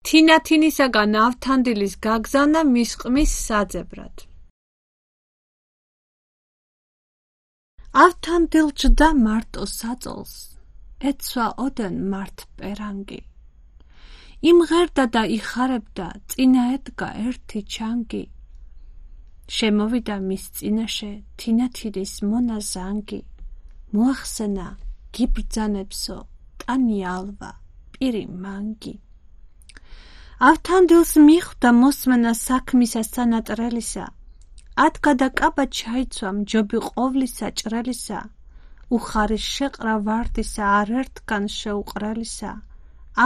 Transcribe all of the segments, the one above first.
თინათინისაგან ავთანდილის გაგზავნა მის ყმის საძებრად. ავთანდილ ჯდა მარტო საწოლს, ეცვა ოდენ მართ პერანგი. იმღერდა და იხარებდა, წინა ედგა ერთი ჩანგი. შემოვიდა მის წინაშე თინათინის მონა ზანგი. მოახსენა გიბრძანებსო, ტანი ალვა, პირი მანგი. ავთანდილს მიხვდა მოსმენა საქმისა სანატრელისა. ადგა და კაბა ჩაიცვა მჯობი ყოვლისა ჭრელისა. უხარის შეყრა ვარდისა არ ერთგან შეუყრელისა.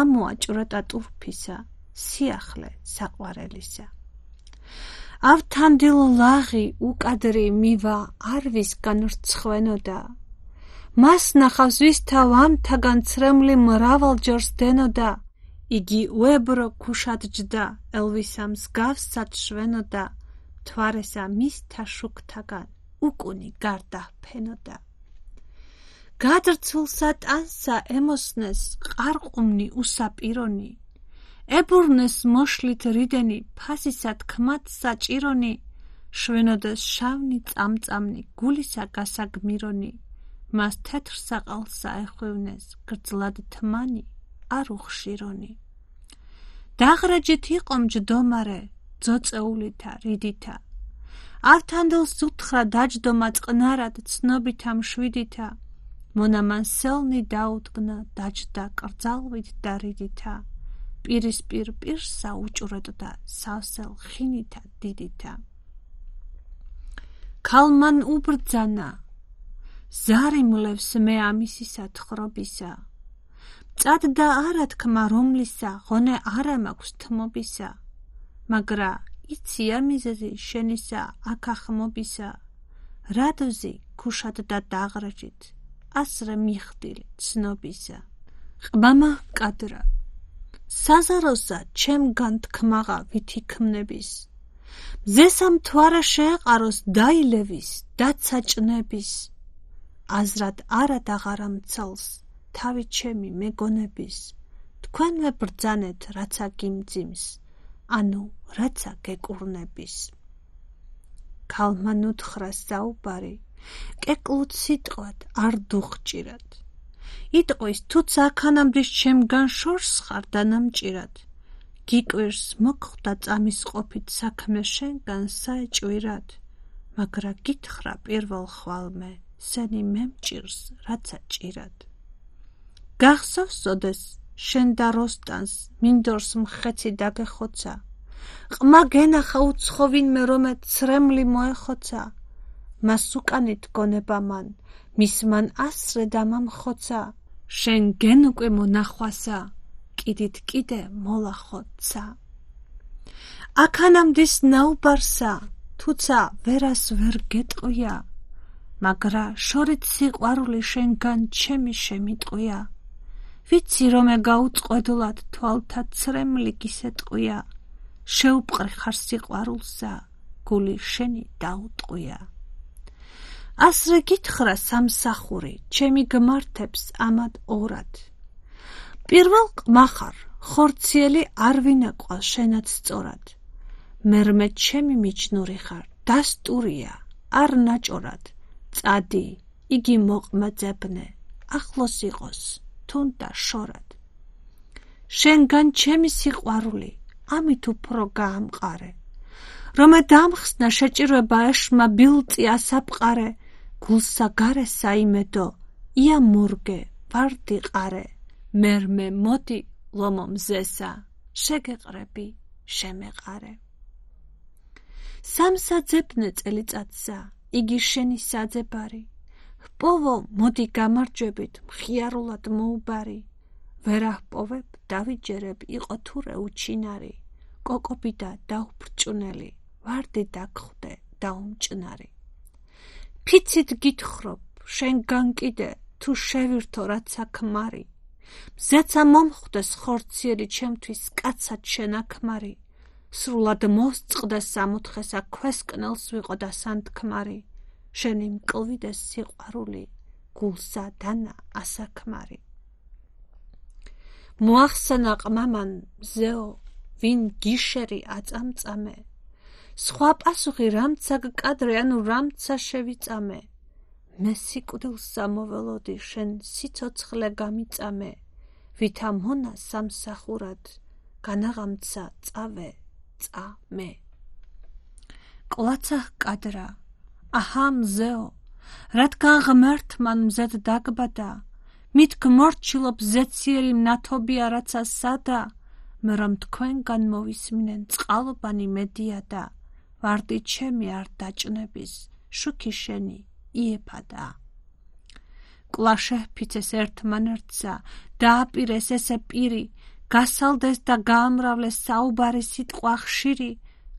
ამოაჭვრეტა ტურფისა, სიახლე საყვარელისა. ავთანდილ ლაღი უკადრი მივა არვისგან რცხვენოდა. მას ნახავს ვისთა ვამთაგან ცრემლი მრავალჯერ სდენოდა. იგი უებრო ქუშად ჯდა, ელვისა მსგავსად შვენოდა. მთვარესა მისთა შუქთაგან უკუნი გარდა ფენოდა. გადრცულსა ტანსა ემოსნეს ყარყუმნი უსაპირონი. ებურნეს მოშლით რიდენი ფასისა თქმად საჭირონი. შვენოდეს შავნი წამწამნი გულისა გასაგმირონი. მას თეთრ საყალსა ეხვევნეს გრძლად თმანი არ უხშირონი. დაღრაჯით იყო მჯდომარე ძოწეულითა რიდითა. ავთანდილს უთხრა დაჯდომა წყნარად ცნობითა მშვიდითა. მონამან სელნი დაუდგნა დაჯდა კრძალვით და რიდითა. პირისპირ პირსა უჭვრეტდა სავსელ ხინითა დიდითა. ქალმან უბრძანა, ზარი მლევს მე ამისისა თხრობისა. მწადდა არა თქმა რომლისა, ღონე არა მაქვს თმობისა. მაგრა იცი ამიზეზი შენისა აქ ახმობისა. რადოზი ქუშად და დაღრაჯით, ასრე მიხდილი ცნობისა. ყმამა კადრა, საზაროსა ჩემგან თქმაღა ვითი ქმნების. მზესა მთვარე შეეყაროს დაილევის, დაცა ჭნების. აზრად არა დაღარა მცელს, თავი ჩემი მეგონების. თქვენვე ბრძანეთ რაცა გიმძიმს, ანუ რაცა გეკურნების. ქალმან უთხრა საუბარი, კეკლუთ სიტყვად არ დუღჭირად. იტყვის თუც აქანამდის ჩემგან შორს ხარ დანამჭირად. გიკვირს მოგხვდა წამის ყოფით საქმე შენგან საეჭვირად. მაგრა გითხრა პირველ ხვალმე, სენი მემჭირს რაცა ჭირად. გახსოვს ოდეს შენ და როსტანს მინდორს მხეცი დაგეხოცა. ყმა გენახა უცხო ვინმე რომე ცრემლი მოეხოცა. მას უკანით გონება მან, მის მან ასრე დამამხოცა. შენ გენ უკვე მონახვასა, კიდით კიდე მოლახოცა. აქანამდის ნაუბარსა, თუცა ვერას ვერ გეტყვია. მაგრა შორით სიყვარული შენგან ჩემი შემიტყვია. ვიცი რომე გაუწყვედლად თვალთა ცრემლი გისეტყვია. შეუპყრი ხარ სიყვარულსა, გული შენი დაუტყვია. ასრე გითხრა სამსახური, ჩემი გმართებს ამად ორად. პირველ ყმა ხარ, ხორციელი არ ვინაყვა შენად სწორად. მერმე ჩემი მიჯნური ხარ, დასტურია, არ ნაჭორად. წადი, იგი მოყმაძებნე, ახლოს იყოს, თუნდა შორად. შენგან ჩემი სიყვარული, ამით უფრო გაამყარე. რომე დამხსნა შეჭირვება ეშმა ბილწი ასაფყარე. გულსა გარესა იმედო, ია მურგე, ვარდი ყარე. მერმე მოდი ლომო მზესა, შეგეყრები, შემეყარე. სამსაძებნე წელიწადსა, იგი შენი საძებარი. ჰპოვო მოდი გამარჯვებით, მხიარულად მოუბარი. ვერაჰპოვებ, დავიჯერებ, იყო თურე უჩინარი. კოკობიდა დაუბრჭუნელი, ვარდი დაგხვდე, დაუმჭნარი. ფიცით გითხრობ, შენგან კიდე, თუ შევირთო რაცა ქმარი. მზეცა მომხვდეს ხორციელი ჩემთვის კაცად შენაქმარი. სრულად მოსწყდეს სამოთხესა, ქვესკნელს ვიყო და სანთქმარი. შენი მკლვიდეს სიყვარული, გულსა დანა ასაქმარი. მოახსენა ყმამან მზეო, ვინ გიშერი აწამწამე სხვა პასუხი რამცა გკადრე ანუ რამცა შევიწამე მე სიკვდილს სამოველოდი შენ სიცოცხლე გამიწამე ვითა მონა სამსახურად განაღამცა წავე წამე კლაცა კადრა აჰა მზეო რადგან ღმერთმან მზედ დაგბადა მით გმორჩილობ ზეციერი მნათობია რაცა სადა მე რომ თქვენგან მოვისმინენ წყალობანი მედიადა ვარდი ჩემი არ დაჭნების შუქი შენი იეფადა კლაშეფიცეს ერთმანერთსა დააპირეს ესე პირი გასალდეს და გაამრავლეს საუბარი სიტყვა ხშირი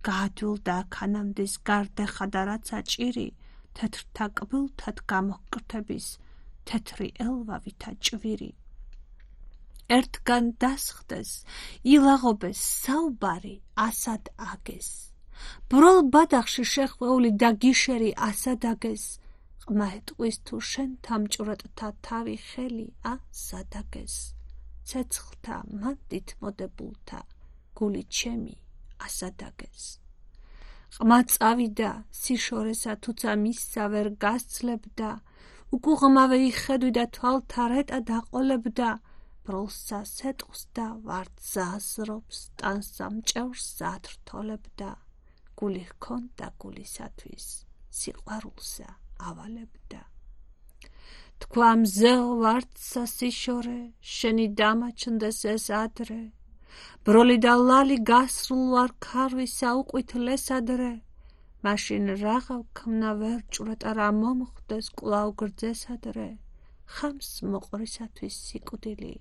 გაადვილდა ქანამდის გარდეხადა რაცა ჭირი თეთრთა კბილთად გამოკრთების თეთრი ელვავითა ჭვირი ერთგან დასხდეს ილაღობეს საუბარი ასად აგეს ბროლ ბადახში შეხვეული და გიშერი ასად აგეს ყმა ეტყვის თუ შენ თამჭვრეტთა თავი ხელი ასადაგეს ცეცხლთა მანდით მოდებულთა გული ჩემი ასადაგეს ყმა წავიდა სიშორესა თუცა მისსა ვერ გასცლებდა უკუღმავე იხედვიდა თვალთა რეტა დაყოლებდა ბროლსა სეტყს და ვარდს ზაზრობს ტანსა მჭევრს ზათრთოლებდა გული ჰქონდა გულისათვის სიყვარულსა ავალებდა თქვა მზეო ვარდსა სიშორე შენი დამაჩნდეს ეს ადრე ბროლი და ლალი გასრულ ვარ ქარვისა უყვითლეს ადრე მაშინ რაღავ ქმნა ვერ ჭვრეტა რა მომხდეს კვლავ გრძეს ადრე ხამს მოყვრისათვის სიკვდილი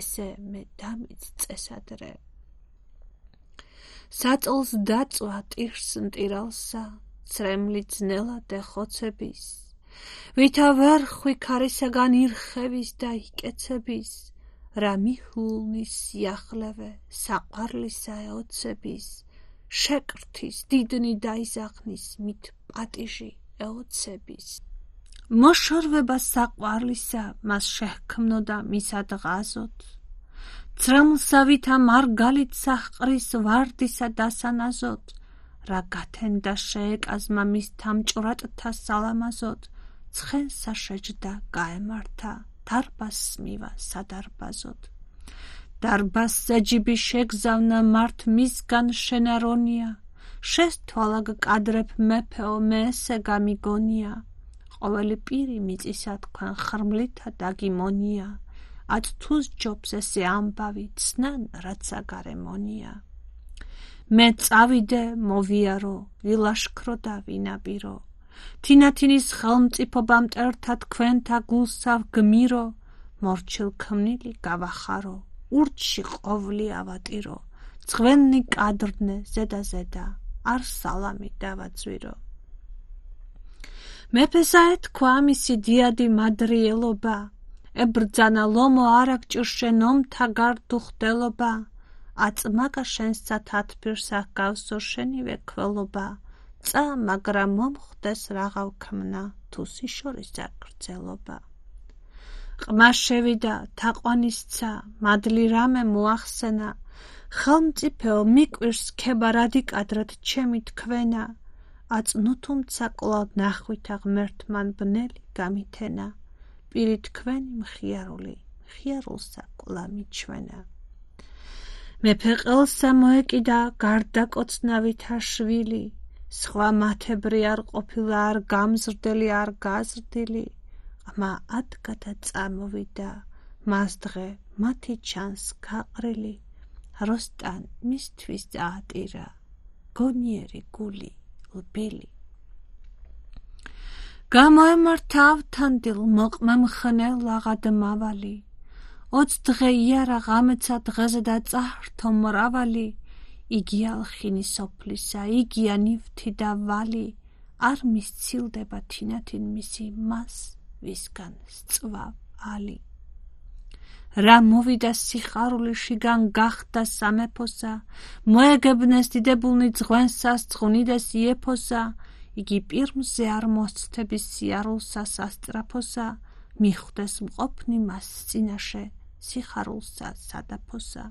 ესე მე დამიწწეს ადრე საწოლს დაწვა ტირს მტირალსა ცრემლი ძნელად ეხოცების ვითა ვერ ხვი ქარისაგან ირხების და იკეცების რა მიჰულნის სიახლევე საყვარლისა ეოცების შეკრთის დიდნი დაიზახნის მით პატიჟი ეოცების მოშორვება საყვარლისა მას შეჰქმნოდა მისად ღაზოთ ცრემლსა ვითა მარგალით საჰყრის ვარდისა დასანაზოთ რა გათენდა შეეკაზმა მის თამჭვრატთა სალამაზოთ ცხენსა შეჯდა გაემართა დარბაზს მივა სადარბაზოთ დარბაზზე ჯიბი შეგზავნა მართ მისგან შენარონია შესთვალა გკადრებ მეფეო მე ესე გამიგონია ყოველი პირი მიწისა თქვენ ხრმლითა დაგიმონია ათთუს ჯობს ესე ამბავი ცნან რაცა გარემონია მე წავიდე მოვიარო ვილაშქრო და ვინაპირო თინათინის ხელმწიფობა მტერთა თქვენთა გულსა გმირო მორჩილ ქმნილი გავახარო ურჩი ყოვლი ავატირო ძღვენი კადრნე ზედა არ სალამი დავაძვირო მეფესა ეთქვა მისი დიადი მადრიელობა ებრძანა ლომო არაგჭირ შენ ომთა გარდუხდელობა აწმაკა შენსა თათბირსა ჰგავსო შენივე ქველობა წა მაგრამ მომხდეს რაღავ ქმნა თუ სიშორისა გრძელობა ყმა შევიდა თაყვანისცა მადლი რამე მოახსენა ხელმწიფეო მიკვირს ქება რადიკადრად ჩემი თქვენა აწნუ თუმცა კვლავ ნახვითა ღმერთმან ბნელი გამითენა პირი თქვენი მხიარული მხიარულსა კვლავ მიჩვენა მეფე ყელსა მოეკიდა გარდაკოცნავითა შვილი სხვა მათებრი არ ყოფილა არ გამზრდელი არ გაზრდილი ყმა ადგა და წამოვიდა მას დღე მათი ჩანს გაყრილი როსტან მისთვის დაატირა გონიერი გული ლბილი გამოემართა ავთანდილ მოყმა მხნელ ლაღად მავალი 20 დღე იარა ღამეცა დღეზე და წაჰრთო მრავალი იგი ალხინი სოფლისა იგია ნივთი და ვალი არ მისცილდება თინათინ მისი მას ვისგან სწვა ალი რა მოვიდა სიხარული შიგან გახდა სამეფოსა მოეგებნეს დიდებულნი ძღვენსას ცხუნიდეს იეფოსა იგი პირმზე არ მოსცდების სიარულსა სასტრაფოსა მიხვდეს მყოფნი მას წინაშე სიხარულსა სადაფოსა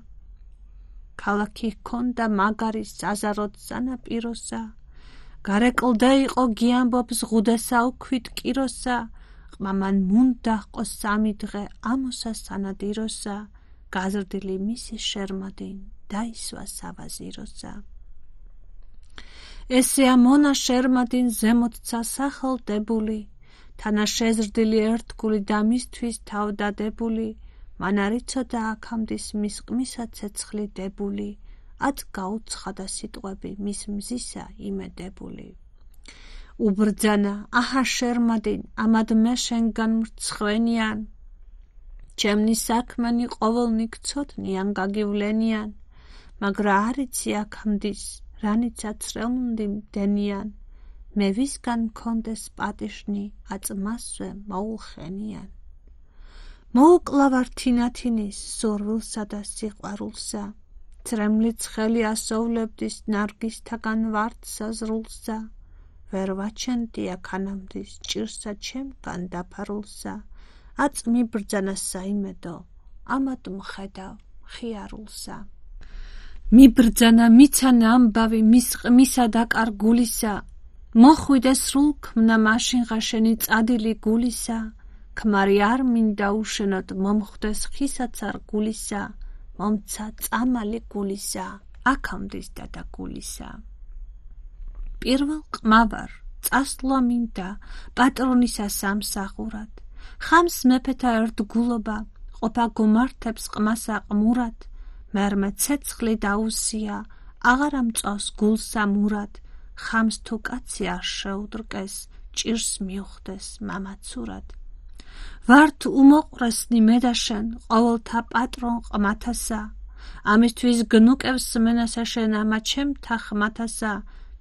ქალაქი ჰქონდა მაგარი საზაროდ სანაპიროსა, გარეკლდა იყო გიამბობს ღუდესა უქვით კიროსა, ყმამან მუნდა ჰყო 3 დღე ამოსა სანადიროსა, გაზრდილი მისი შერმადინ დაისვა სავაზიროსა. ესეა მონა შერმადინ ზემოთცა სახელდებული, თანა შეზრდილი ერთგული და მისთვის თავდადებული, მან არ იცოდა აქამდის მის ყმისა ცეცხლი დებული, ად გაუცხადა სიტყვები მის მზისა იმედებული. უბრძანა აჰა შერმადინ, ამად მე შენგან მრცხვენიან, ჩემნი საქმენი ყოველნი გცოდნიან გაგივლენიან, მაგრა არ იცი აქამდის, რანიცა ცრელმუნდი მდენიან, მე ვისგან მქონდეს პატიშნი, აწმასვე მოულხენიან. მოუკლავარ თინათინის სურვილსა და სიყვარულსა, ცრემლი ცხელი ასოვლებდის ნარგისთაგან ვარდსა ზრულსა, ვერ ვაჩენდი აქანამდის ჭირსა ჩემგან დაფარულსა, აწ მიბრძანა საიმედო, ამად მხედავ ხიარულსა. მიბრძანა მიცანა ამბავი მის ყმისა და კარგულისა, მოხვიდე სრულ ქმნა მაშინღა შენი წადილი გულისა, ქმარი არ მინდა უშენოდ მომხვდეს ხისაცარ გულისა, მომცა წამალი გულისა, აქამდის დადა გულისა. პირველ ყმავარ, წასვლა მინდა პატრონისა სამსახურად, ხამს მეფეთა ერთგულობა, ყოფა გომართებს ყმასა ყმურად, მერმე ცეცხლი დაუსია, აღარ ამწავს გულსა მურად, ხამს თუ კაცი არ შეუდრკეს, ჭირს მიუხდეს მამაცურად. ვართ უმოყვრესნი მე და შენ, ყოველთა პატრონ ყმათასა, ამისთვის გნუკევს მენასა შენ ამა ჩემთა ხმათასა,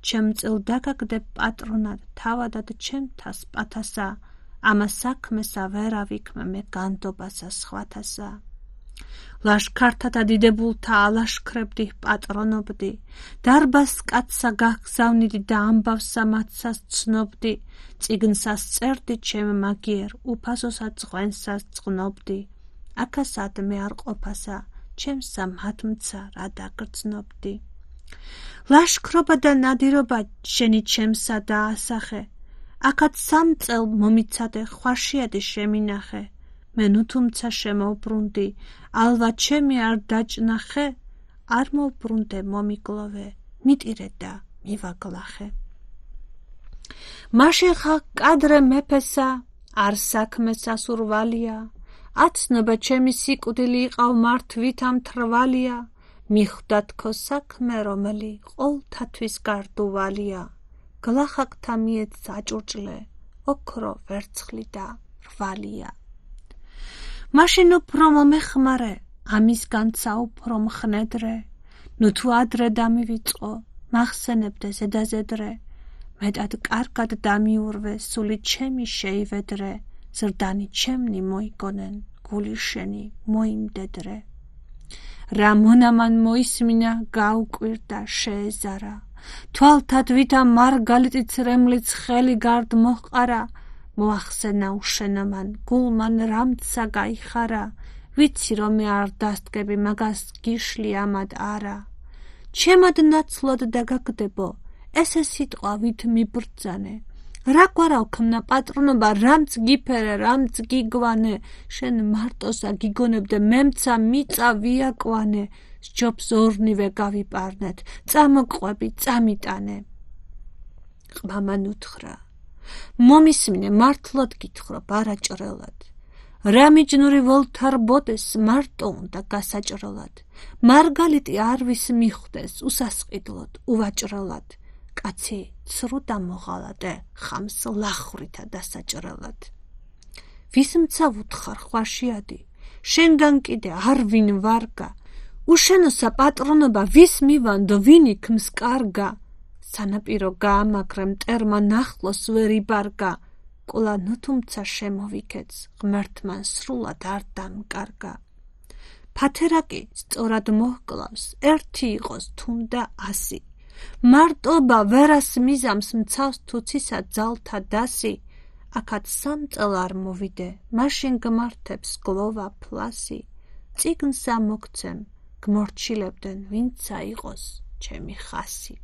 ჩემ წილ დაგაგდებ პატრონად, თავადად ჩემთას პათასა, ამა საქმესა ვერ ავიქმე მე განდობასა სხვათასა. ლაშქართა და დიდებულთა ალაშქრებდი, პატრონობდი, დარბას კაცსა გაგზავნიდი და ამბავსა მათსას ცნობდი, წიგნსას წერდი ჩემ მაგიერ, უფასოსა წღვენსას წღნობდი, აქასად მე არ ყოფასა, ჩემსა მათმცა რა დაგრძნობდი. ლაშქრობა და ნადირობა შენი ჩემსა დაასახე, აქაც 3 წელ მომიცადე, ხვაშიადი შემინახე, მე ნუ თუმცა შემოვბრუნდი, ალვა ჩემი არ დაჭნახე, არ მოვბრუნდე მომიგლოვე, მიტირე და მივაგლახე. მაშინ ხა კადრე მეფესა, არ საქმესა სურვალია, აცნობა ჩემი სიკვდილი იყავ მართვით ამ თრვალია, მიხვდა თქო საქმე რომელი ყოვლთათვის გარდუვალია, გლახაკთა მიეც აჭურჭლე, ოქრო ვერცხლი და რვალია. მაშინ უფრო მომეხმარე, ამისგანცა უფრო მხნედრე, ნუ თუ ადრე დამივიწყო, მახსენებდე ზედაზედრე, მეტად კარგად დამიურვე, სული ჩემი შეივედრე, ზრდანი ჩემნი მოიგონენ, გული შენი მოიმდედრე. რა მონამან მოისმინა, გაუკვირდა, შეეზარა, თვალთად ვითა მარგალიტი ცრემლიც ხელი გარდ მოჰყარა, მოახსენა უშენომან, გულმან რამცა გაიხარა, ვიცი რომ მე არ დასდგები, მაგას გიშლი ამად არა. ჩემად ნაცვლად დაგაგდებო, ესე სიტყვა ვით მიბრძანე, რა გვარავ ქმნა პატრონობა, რამც გიფერე, რამც გიგვანე, შენ მარტოსა გიგონებდე, მემცა მიწა ვიაკვანე, სჯობს ორნივე გავიპარნეთ, წამოყვები, წამიტანე. ყმამან უთხრა, მომისმინე, მართლად გითხრობ, არაჭრელად. რა მიჯნური ველთარბოდეს, მარტო უნდა გასაჭრელად. მარგალიტი არვის მიხვდეს, უსასყიდლოდ, უვაჭრელად. კაცი ცრუ და მოღალატე, ხამს ლახვრითა დასაჭრელად. ვისმცა ვუთხარ ხვაშიადი, შენგან კიდე არ ვინ ვარგა, უშენოსა პატრონობა ვის მივანდო, ვინ იქმს კარგა, სანაპირო გაამაგრე, მტერმა ნახლოს ვერ იბარგა, ყოლა ნუ თუმცა შემოვიქეც, ღმერთმან სრულად არ დამკარგა. ფათერაკი სწორად მოჰკლავს, ერთი იყოს თუნდა 100, მარტობა ვერას მიზამს, მცავს თუცისა ძალთა დასი, აქაც 3 წელ არ მოვიდე, მაშინ გმართებს გლოვა ფლასი, წიგნს ამოგცემ, გმორჩილებდნენ, ვინცა იყოს ჩემი ხასი.